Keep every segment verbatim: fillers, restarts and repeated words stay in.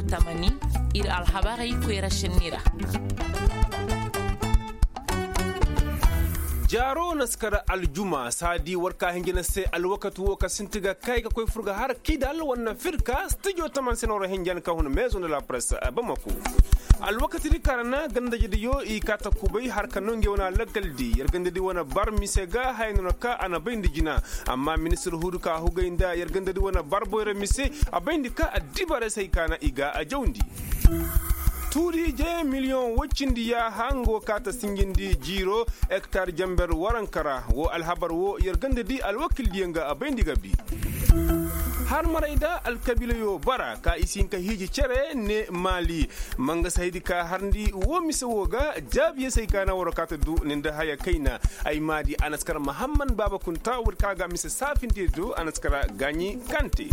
Tamani, ir alhabarey koyra senni ra. Jaaro na si kar aljuma saadi war ka hinja na se alwakati wo ka sinti ga kay ga koy fur ga har kidal wanna firka stijo taman se nooro hinjan ka hun maison de la presse bamako. Alwakati di kara na gandajediyo i ka ta kubay har ka no nge wane alakal di yer gandadi wane bar mise ga haya no na ka a na bayndi jina. Amma ministir hudu ka hugay nda yer gandadi wane bar boyra mise a bayndi ka addibaray se hay ka na i ga a jawndi. Tuuriije miliyoŋ woy cindi yaaha nga wo ka ta sinjindi jiiro hektar jamber waranka ra wo alhabar wo yer ganda di alwakildiyaŋ ga a bayndi ga bi. Har maray da alkabiilayo bara ka i si hin ka hiiji cere ne maali. Manga si haydi ka harndi wo mise wo ga jaabiyey se hay ka na waro ka ta du ni nda haya kayna. Ay maadi a na si kara mahamman baaba kunta woodi ka ga mise saafindiyo do a na si kara gaaɲi kante.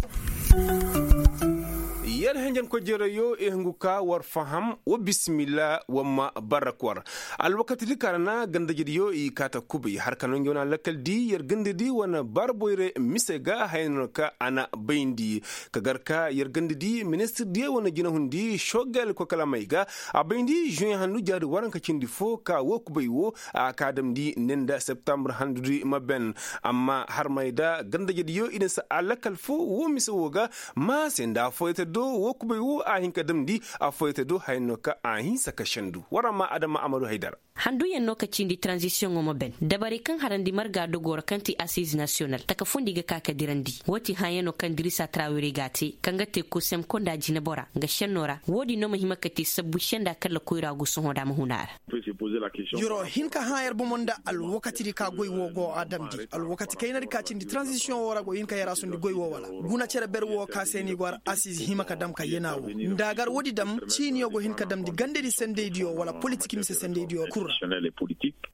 Yer henjen kojeerayo i hungu ka war faham wa bisimilla wa ma barrak war. Alwakati di kaŋ a ra na gandajediyo i kaata kubay har ka no nge wane alakal di yer ganda di wane bar boyre mise ga haya no ka a na bayndi. Ka gar ka yer ganda di ministir diyo wane jinahundi shogel kokalamey ga a bayndi žuweŋ handu jaadi waranka cindi fo ka wo kubay wo a ka damndi ne nda septambur handudi ma ben. Amma harmay da gandajediyo i na si alakal fo wo mise wo ga ma se nda afooyate do wo kubay wo a hin ka damndi afooyate do haya no ka a hinsa ka sendu war amma adama amadu haydara. Handuyaŋ no ka cindi tranzisiyoŋo ma ben dabarey kaŋ harandi marga dogo ra kaŋ ti asiize nasiyonal taka fundi ga ka ka dirandi wo ti hãyano kaŋ dirisa trawere ga a te kaŋ ga te kosem konda jinebora nga senno ra wo-din no ma hima ka te sabbu senda kalla koyra go sohõ da ma huna ra. Yer wo hin ka hã yer bomo nda alwakati di ka goy wo go a damndi alwakati kayna di ka cindi tranzisiyoŋ wo ra go hin ka yer a sundi goy wo wala guna cere ber wo ka se ni go har asiize hima ka dam ka yena wo nda a gar wo-di dam ciiniyo go hin ka damndi gandadi sendaydiyo wala politik mise sendaydiyo kul ra.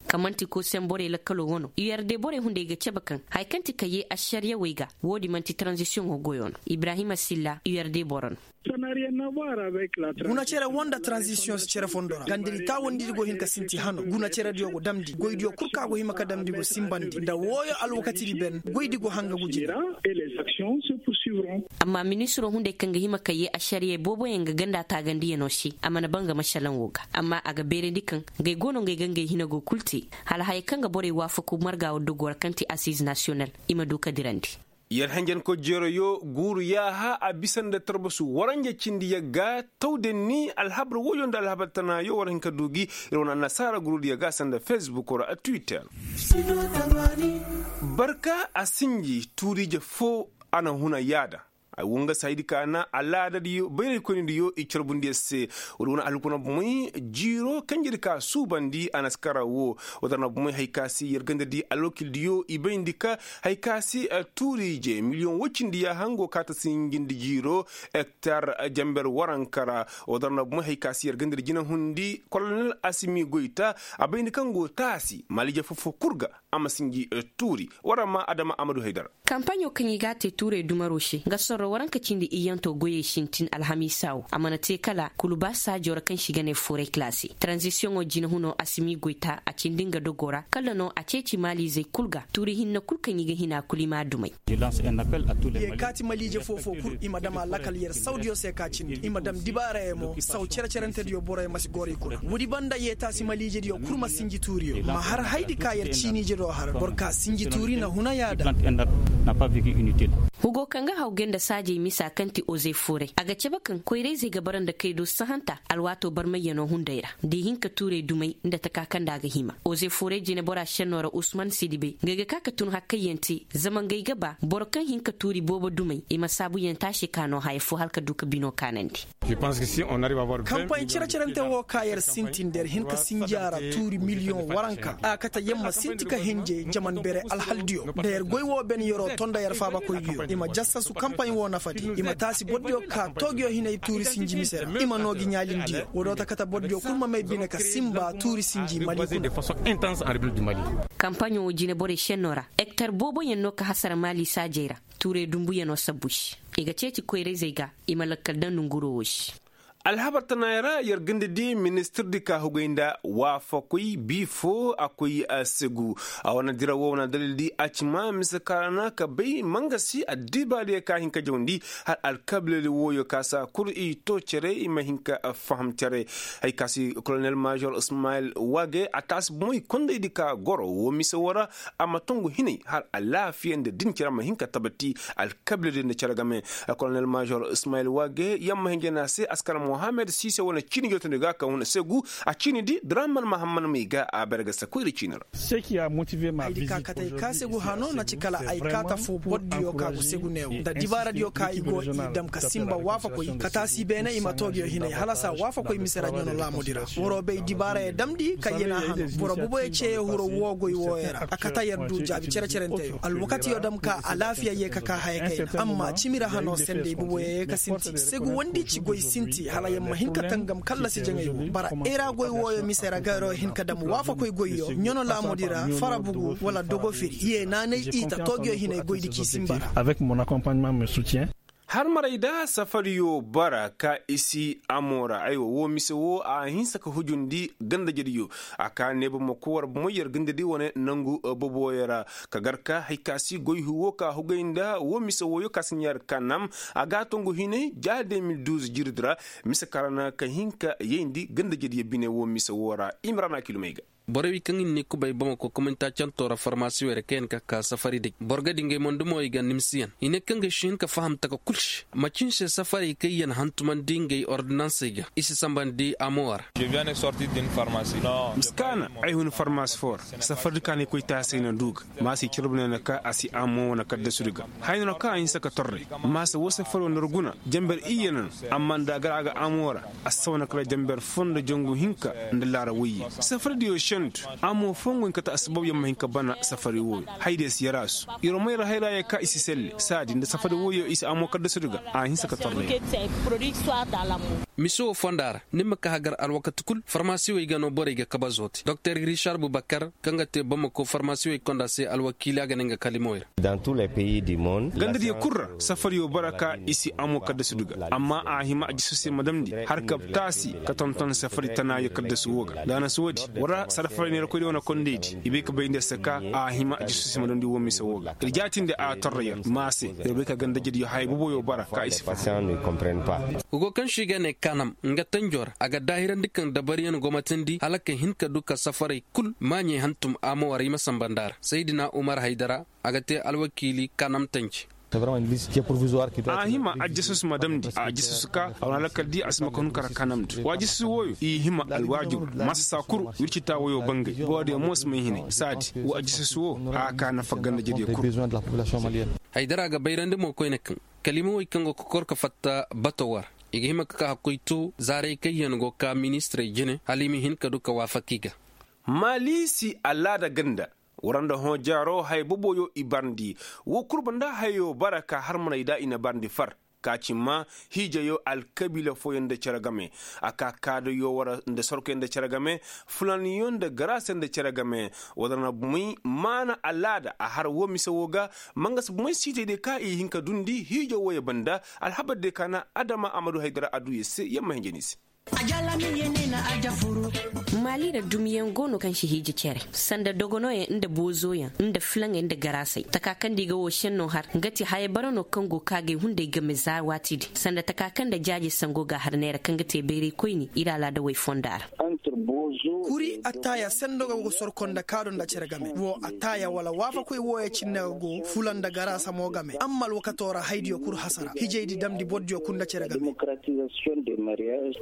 Ka man'ti kosem borey lakkalo wano u yarde borey hunday ga cabe kaŋ haya kaŋ ti ka yee ašariyawey ga wo-din man'ti tranzisiyoŋo goyo no ibrahima silla u yarde boro no. Guna cere wo nda tranzisiyoŋ si cere fondo ra gandadi taawandi di go hin ka sinti hano guna cerediyo go damndi goydiyo kul kaŋ a go hima ka damndi go sinbandi nda wooyo alwakati di ben goydi go hanga guji nda. Amma ministiro hunday kaŋ ga hima ka yee ašariyey booboyaŋ ga ganda taagandiyano se a mana ba nga mašalaŋo ga amma a ga beerandi kaŋ ngey go no ngey ga ngey hinago kul te hala haya kaŋ ga borey waafaku marga wo dogo ra kaŋ ti asiize nasiyonal i ma du ka dirandi. Yer henjenkoy jeerayo guuru yaaha a bisa nda tarbasu waranja cindi yagga tawdenni alhabar woyo nda alhabar tanaayo war hin ka du gi ir wane annasaara guruudiyo ga sanda fesbuk ra twitter. Barka a sinji tuuriije foo a na huna yaada. Ay wo nga saydi ka na alaadadiyo bayraykoynidiyo i carbundiyo se. Wala wane alhukuna bomey jiiro kanjedi ka suubandi a na si kara wo. Wala na bomey hay ka si yer gandadi alwakildiyo i bayndi ka hay ka si tuuriije miliyoŋ woy cindi yaaha nga wo ka ta sinjindi jiiro hektar jamber waranka ra. Wala na bomey hay ka si yer gandadi jinahundi kolonel asimi goyta a bayndi kaŋ go taasi maliije fofo kul ga. A ma sinji tuuri. War amma adama amadu haydar. Kampaɲo kaŋ i g'a te tuurey dumaro se nga sorro waranka cindi iyyanto goyey sintin alhamiisa wo a mana te kala kuluba saajo ra kaŋ se i ga ne fooray kalaasi taranzisiyoŋo jinahuno asimi goyta a cindi nga dogo ra kala no a ceeci maaliizey kul ga tuuri hinne kul kaŋ i ga hina kul i m'a dumey. Ye kaati maliije foo-foo kul i ma dam a lakal yer sawdiyo se ka cindi i ma dam dibaarayey mo saw cere-cerentediyo borey ma si goro i kuna woodi banda ye taasi maliijediyo kul ma sinji tuuriyo ma har haydi ka yer ciiniije do har boro ka sinji tuuri na huna yaada. Hugo kaŋ ga haw gay nda saajey misa kaŋ ti ozey fooray a ga cabe kaŋ koyrayzey ga bara nda kay do sahanta alwaato barmayyano hunday ra da i hin ka tuurey dumey nda taka kaŋ nda a ga hima ozey fooray jinebora šenno ra usman sidibey ngey ga ka ka tun hakkayyaŋ te zama ngey ga ba boro kaŋ hin ka tuuri boobo dumey i ma saabuyaŋ te a se ka no haya fo hala ka du ka bino kaanandi. Kampay cere-cerente wo ka yer sintin da yer hin ka sinji a ra tuuri miliyoŋ waranka a kate yer ma sinti ka hinje jaman bere alhaldiyo da yer goy wo ben yer'o to nda yer faabakoydiyo i ma jassasu kampay wo nafadi i ma taasi bordiyo ka toogiyo hinay tuuri sinji mise ra i ma noo gi ɲaalindiyo wo do ta kate bordiyo kul ma may bine ka sinba tuuri sinji mali kuna. Kampaɲo wo jine borey šenno ra hektar booboyaŋ no ka hasara maali saajey ra tuurey dumbuyaŋo sabbu se i ga ceeci koyrayzey ga i ma lakkal daŋ nonguroo wo se. Alhabar tanaayoo ra yer ganda di ministirdi ka hugay nda waafakoy bii foo a koy segu. A wane dira woo wane dalildi a ci maa mise ka ra na ka bay mangasi addibaadiyo ka hin ka jawandi, hal alkablali wooyo ka saa kul i too cere i ma hin ka faham cere. Hay ka si kolonel maazor ismayil waage a taasi bomoy kondaydi ka goro woo mise woo ra, a ma tongu hinay hal alaafiya nda din cere ma hin ka tabati. Alkablali nda cere game. Kolonel maazor ismayil waage yamma hinja na se askar mohammed siise wane ciini jootandi ga ka huna segu. A ciini di draman mahamman may ga a bare ga sakoy da ciini ra. Ay di ka katay ka segu hano na ci kala ay kaata foo bordiyo ka go segu neewo nda dibaaradiyo ka i go i dam ka sinba waafakoy ka taasi beene i ma too nguyo hinay hala saa waafakoy mise ra ɲano laamudi ra. Waroo bay dibaarayo damndi ka yena hano boro boboyo ceeyo huro woo goy wooyo ra a kata yer du jaabi cere-cerenteyo alwakatiyo dam ka alaafiya yee ka kaa haya kayna amma cimi ra hano sendey boboyo yee ka sinti segu wondi ci goy sinti hala yer ma hin ka tangam kallasi jaŋay wo bara era goy wooyo mise ra garo hin ka dam waafakoy goyyo ɲano laamudi ra fara bugu wala dogo firi yee naanay i ta toogiyo hinay goydi k'i sinba ra. Harmarey da safariyo bara ka i si amo ra aywa woo mise woo a hinsa ka hujundi gandajediyo. A ka neeba ma koy war bomoy yer gandadi wane nangu boboyo ra ka gar ka hay ka si goy huwo ka hugay nda woo mise wooyo ka si ɲaari kanam. A ga tongu hinay ja de mil duuz jiridi ra. Mise ka ra na ka hin ka yayndi gandajediyo bine woo mise woo ra. Imrana kilomey ga. Borey wey kaŋ i na ni kubay bamako kominta canto ra farmasiwey ra kaŋ yaŋ ka ka safari day boro ga di ngey mondo mo i ga nimsiyaŋ i ne kaŋ ga si hin ka faham taka kul se macin se safarey kaŋ yaŋ hantumandi ngey ordinansey ga i si sambandi amowa ra. Miskaana ay hun farmasi fo ra. Safari kaŋ ay koy taasey na du ga maasa i carbu ne na ka a si amo wane kaddasudi ga. Haya no kaŋ a hinsa ka torre maasa woo safari wo nda ra guna jamber iyye no. Amma nda a gar a ga amo ra a si sawa na kala jamber foo nda jangu hinka nda laara woyye. Safari diyo sendu amo foo ngu hin ka ta assabab yer ma hin ka bana safari wooyo. Haydiyo si yaraasu yer wo may ra hayra yee ka i si selle saadi nda safari wooyo i si amo kaddasudi ga. A hinsa ka torre. Mise woo fonda ra ni ma ka hagar alwakati kul farmasiwey ga no borey ga kabazo te doktor rishar bubakar kaŋ ga te bamako farmasiwey konda se alwakiili a ga ne nga kalimoy ra. Gandadiyo kul ra safariyo bara ka i si amo kaddasudu ga amma a hima a jisu se ma damndi har ka taasi ka tonton safari tanaayo kaddasu woo ga nda a na si woodi war ra sarfaray neerakoydiyo wane kondaydi i bay ka bay nda se ka a hima a jisu se ma damndi woo mise woo ga ir jaatindi a torra yer ma se ir bay ka gandajediyo haya boboyo bara ka i si faham. Hugo kaŋ se i ga ne kanam nga tanjo ra a ga daahirandi kaŋ dabariyaŋ gomatandi hala ka hin ka du ka safaray kul maaɲey hantum amo war i ma samba nda ra saydina umar haydara a ga te alwakiili kanam tanji. A hima ajasus ma damndi ajasus ka a wane alakal di a si ma ka hun kara kanamndi wa ajasus wooyo i hima alwaajur ma si saa kul wirci taa wooyo bangay boodiyo mo si may hinay saadi wa ajasus woo a ka nafa gandajediyo kul. Haydara ga bayrandi mo koyne kaŋ kalimawey kaŋ go ka kor ka fatta bato war i ga hima ka ka hakkoy to zaaray kaŋ yaŋ go ka ministirey jine hala i ma hin ka du ka waafak i ga. Maali si alaada ganda war nda hõ jaaro haya boboyo i barndi. Woo kul banda hayo bara ka harmaney da i na barndi far ka ci maa hiijayo alkabiila fooyaŋ nda cere game. A ka kaadayo war nda sorkoyaŋ nda cere game fulanyo nda garaasa nda cere game. War na bumey maana alaada a har woo mise woo ga. Mangasa bumey siitey diyo ka i hin ka dundi hiijo wooyo banda alhabar diyo ka na adama amadu haydara a du yer se yer ma hinja ni se. Maali ra dumiyaŋ go no kaŋ si hiiji cere sanda dogonoyaŋ nda boozoyaŋ nda filaŋey nda garaasey taka kaŋ nda i ga woo senno har nga ti haya bara no kaŋ go ka ga ay hunday game za waati din sanda taka kaŋ nda jaaje sango ga har neera kaŋ ga te bayray koyni ir alaada way fonda ra. Kuri attaaya sendo ga go sorko nda kaado nda cere game woo attaaya wala waafakoy wooyo cinne ga go fula nda garaasa mo game amma alwakato ra haydiyo kul hasara hijaydi damndi bordiyo kul nda cere game.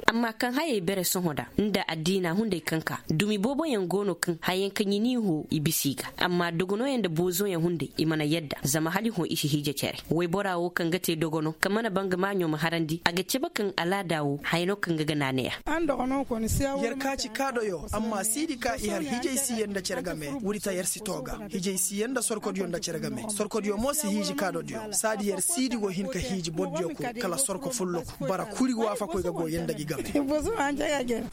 Amma kaŋ hayey bere sohõ da nda addiina hunday kaŋ ka dumi booboyaŋ go no kaŋ hayaŋ kaŋ i n'i hõ i bisa i ga amma dogonoyaŋ nda boozoyaŋ hunday i mana yadda zama hala i hõ i si hiije cere. Waybora wo kaŋ ga te dogono kaŋ mana bangamaɲo ma harandi a ga cabe kaŋ alaada wo haya no kaŋ ga ga naanay a. Yer ka ci kaadoyo amma siidi ka i har hijay si yer nda cere game. Woodi ta yer si too ga hijay si yer nda sorkodiyo nda cere game sorkodiyo mo si hiiji kaadodiyo saadi yer siidi go hin ka hiiji bordiyo kul kala sorko folloku bara kuri waafakoy ga go yer nda gi game.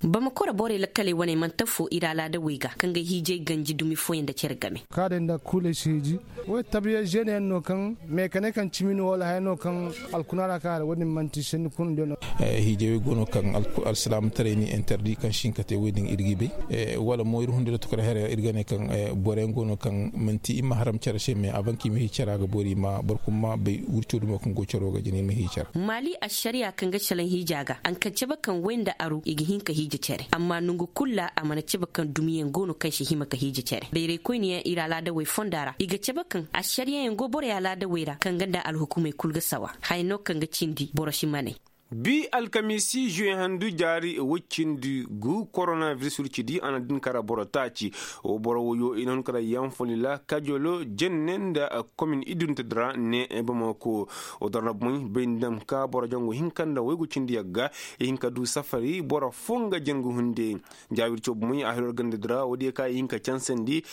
Bamakoro borey lakkaley wane manti affoo ir alaadawey ga kaŋ ga hiijay ganji dumi fooyaŋ nda cere game. Kaadey nda kuuley si hiiji. Wey tabiya žeeneyaŋ no kaŋ meekane kaŋ cimi no wala haya no kaŋ alkuna ra kaŋ a ra wo- din man'ti senni kuna nda no. Hiijay wey go no kaŋ alsilaamataray ni interdi kaŋ si hin ka te wo- din ir g'i bay. Wala mo ir hunday lotokoray haya ra ir ga ne kaŋ boroyaŋ go no kaŋ man'ti i ma haram cere se me a ban ka i ma hii cere a ga boori i ma boro kulu ma bay wirco dumo kaŋ go cero ga jina i ma hii cere. Maali ašariya kaŋ ga salaŋ hiija ga a na ka cabe kaŋ way nda aru i ga hin ka hiija cere amma nangu kulu ra a mana cabe kaŋ dumiyaŋ go no kaŋ si hima ka hiija cere bayraykoyniyaŋ ir alaadawey fonda ra i ga cabe kaŋ ašariyayaŋ go borey alaadawey ra kaŋ ga nda alhukumey kulu ga sawa haya no kaŋ ga cindi boro si maney. Bi alkamiisi žuwe handu jaari woy cindi gu koronaviris wirci di a na din kara boro taaci. Wo boro woyo i na hun kara yanfoli la kajolo jenne nda komin idunta di ra ne bamako. Wo dora na bumey bay nda dam ka boro jangu hinka nda woy gu cindi yagga i hin ka du safari boro foo nga jangu hunde. Jaawir coobu moy a hiro ganda di ra woodiyo ka i hin ka cansandi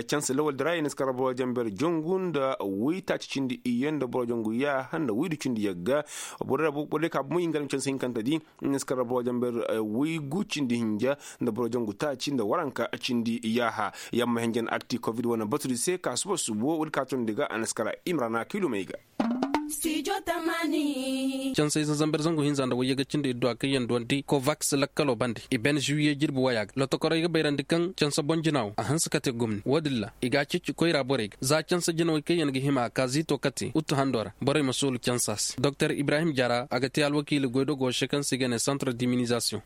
cansa lawal di ra i na si kara boro jamber jongu nda woytaaci cindi iyye nda boro jongu yaaha nda woydu cindi yagga. Borodiyo ka bomoy i nga alma cansa hinkanta di i na si kara boro jamber woygu cindi hinja nda boro jongu taaci nda waranka cindi yaaha. Yamma hinjan akti kovid wane batudi se ka suba subo woodi ka tondi ga a na si kara imrana kilomey ga. Cansey zanzamber zangu hinza nda wayye ga cindi idduwa kaŋ yaŋ duwandi kovaks lakkalo bande i ben žiwiye jirbi waya ga lotokorey ga bayrandi kaŋ cansa boŋ jina wo a hanse kate gomni wo-din ra i ga a ceeci koyra borey ga za cansa jinawey kaŋ yaŋ ga hima a ka ziito kate uttu hando ra borey ma soolu cansa se doktor ibrahim jara a ga te alwakiili goydogo se kaŋ se i ga ne santre diminizasiyoŋ.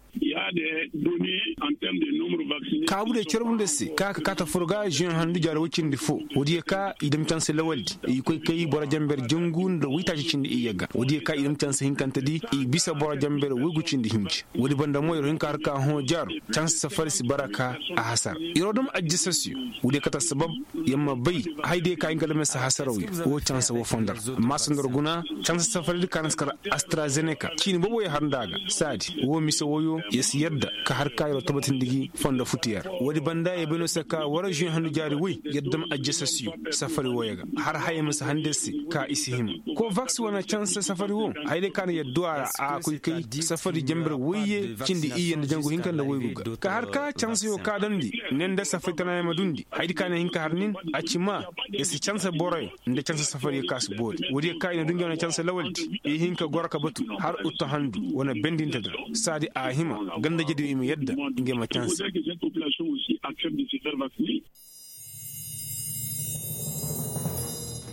Kaabu de carbu nda se ka ka kaata furo ga žen handu jaari woy cindi fo. Woodiyo ka i dam cansa lawaldi i koy kay boro jamber jangu nda woytaaci cindi iyye ga woodiyo ka i dam cansa hinkantedi i bisa boro jamber woygu cindi hinji. Woodi banda mo yer hin ka har ka hõ jaaro cansa safari si bara ka a hasara. Yer wo dam ajjasasiyo woodiyo kate assabab yer ma bay hayadiyo ka hin ka dam yer se hasarawyo wo cansa wo fondo ra. Amma sanda war guna cansa safaridi ka na si kar astrazeneka ciini boobo yer har nda a ga saadi wo mise woyo yer si yadda ka har ka yer wo tabatindi gi fondo futu yer ra. Woodi banda yer bay no se ka war žuwe handu jaari woy yer dam ajjasasiyo safari woyo ga har haya ma si handi yer se ka i si hima. Kovaks wane cansa safari wo hayadiyo ka na yer du a ra a koy kay safari jamber woyye cindi iyye nda jangu hinka nda woygu ga ka har ka cansayo ka damndi ne nda safari tanayaŋ ma dundi hayadi ka na hin ka har nin a ci ma yer si cansa boroyo nda cansa safariyo ka si boori woodiyo ka i na du ngey wane cansa lawaldi i hin ka goro ka batu har uttu handu wane bendinte dira saadi a hima gandajediyo i ma yadda ngey ma cansa.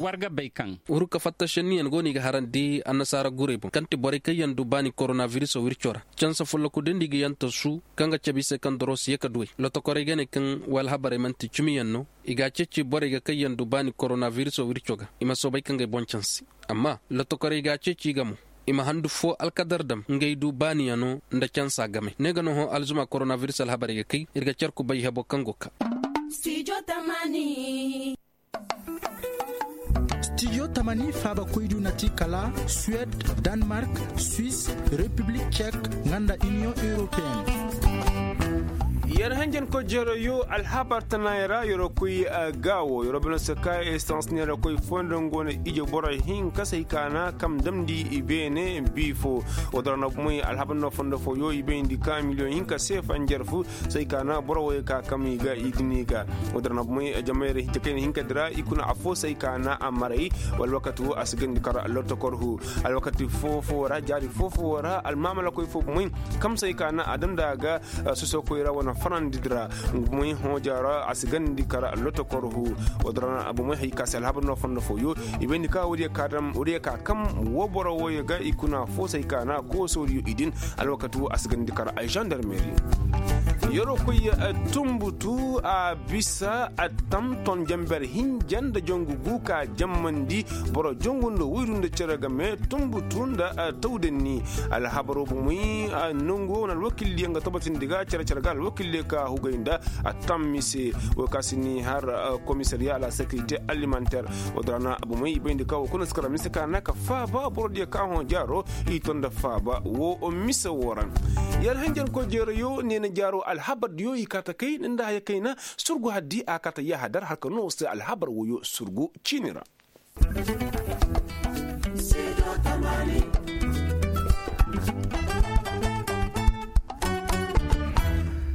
War ga bay kaŋ wurka fattašenniyaŋ go no i ga harandi annasaara guray boŋ kaŋ ti borey kaŋ yaŋ du baani koronabiriso wirco ra cansa fullaku din di ga yaŋ tasu kaŋ ga cabe i se kaŋ doro si ye ka duwey lotokorey ga ne kaŋ way alhabarey man'ti cimiyaŋ no. I ga a ceeci borey ga kaŋ yaŋ du baani koronabiriso wirco ga i ma soobay ka ngey boŋ canse. Amma lotokorey ga a ceeci i ga mo i ma handu foo alkadar dam ngey du baaniyaŋo nda cansa game ne ga no hõ alzuma koronabiris alhabarey ga kay ir ga car kubay hebo kaŋ go kaa. Stijo tamani faaba koydu na ti kala suwed, danmark, swis, repiblik cek, nga nda iniyoŋ europeen. Yer hanjankoy jeerayoo alhabar tanaayoo ra yeroo koy gaawo yeroo bana se ka estans neeroo koy foo nda nga wane ije boro hinka se ay kaana kam damndi i beene bii foo. Woo dora na bumey alhabar no fondo fooyoo i bayndi ka miliyoŋ hinka se fanjar fu se ay kaana boro wooyoo ka kam i ga i ga ni ga. Woo dora na bumey jamayra hinka kayna hinka dira i kuna affoo se ay kaana a maray. Wala wakati woo a si gandi kar lortokor hu alwakati foo foo ra jaari foo foo ra almaamala koy foo bumey kam se ay kaana a damndi a ga. Soso koyra wane farandi dira. Bumey hõ jaara a si gandi kar lotokor hu. Woo dora na bumey hay ka se alhabar no fondo fooyoo i bayndi ka woodiyo ka dam woodiyo ka kam woo boro wooyoo ga i kuna foo se ay kaana koosoodiyo i din. Alwakati woo a si gandi kar ay zandarmeri. Yeroo koy tumbutu a bisa a tam ton jamber hinja nda jangu gu ka jammandi boro jangu nda woyru nda cere game tumbutu nda tawdanni. Alhabaroo bumey nangu wane alwakildiyo nga tabatindi ga cere cere ga alwakildiyo ka hugay nda a tam mise. Woo ka si ni har komisariya a la sekirite alimanter. Woo dora na bumey i bayndi ka woo kuna si kara mise ka na ka faaba borodiyo ka hõ jaaroo i to nda faaba woo mise woo ra. Yer hanjankoy jeerayoo neena jaaroo alhabardiyo i kaa ta kay nda haya kayna. Surgu haddi a kaa ta yaaha dar har ka noo se alhabar woyoo surgu ciini ra.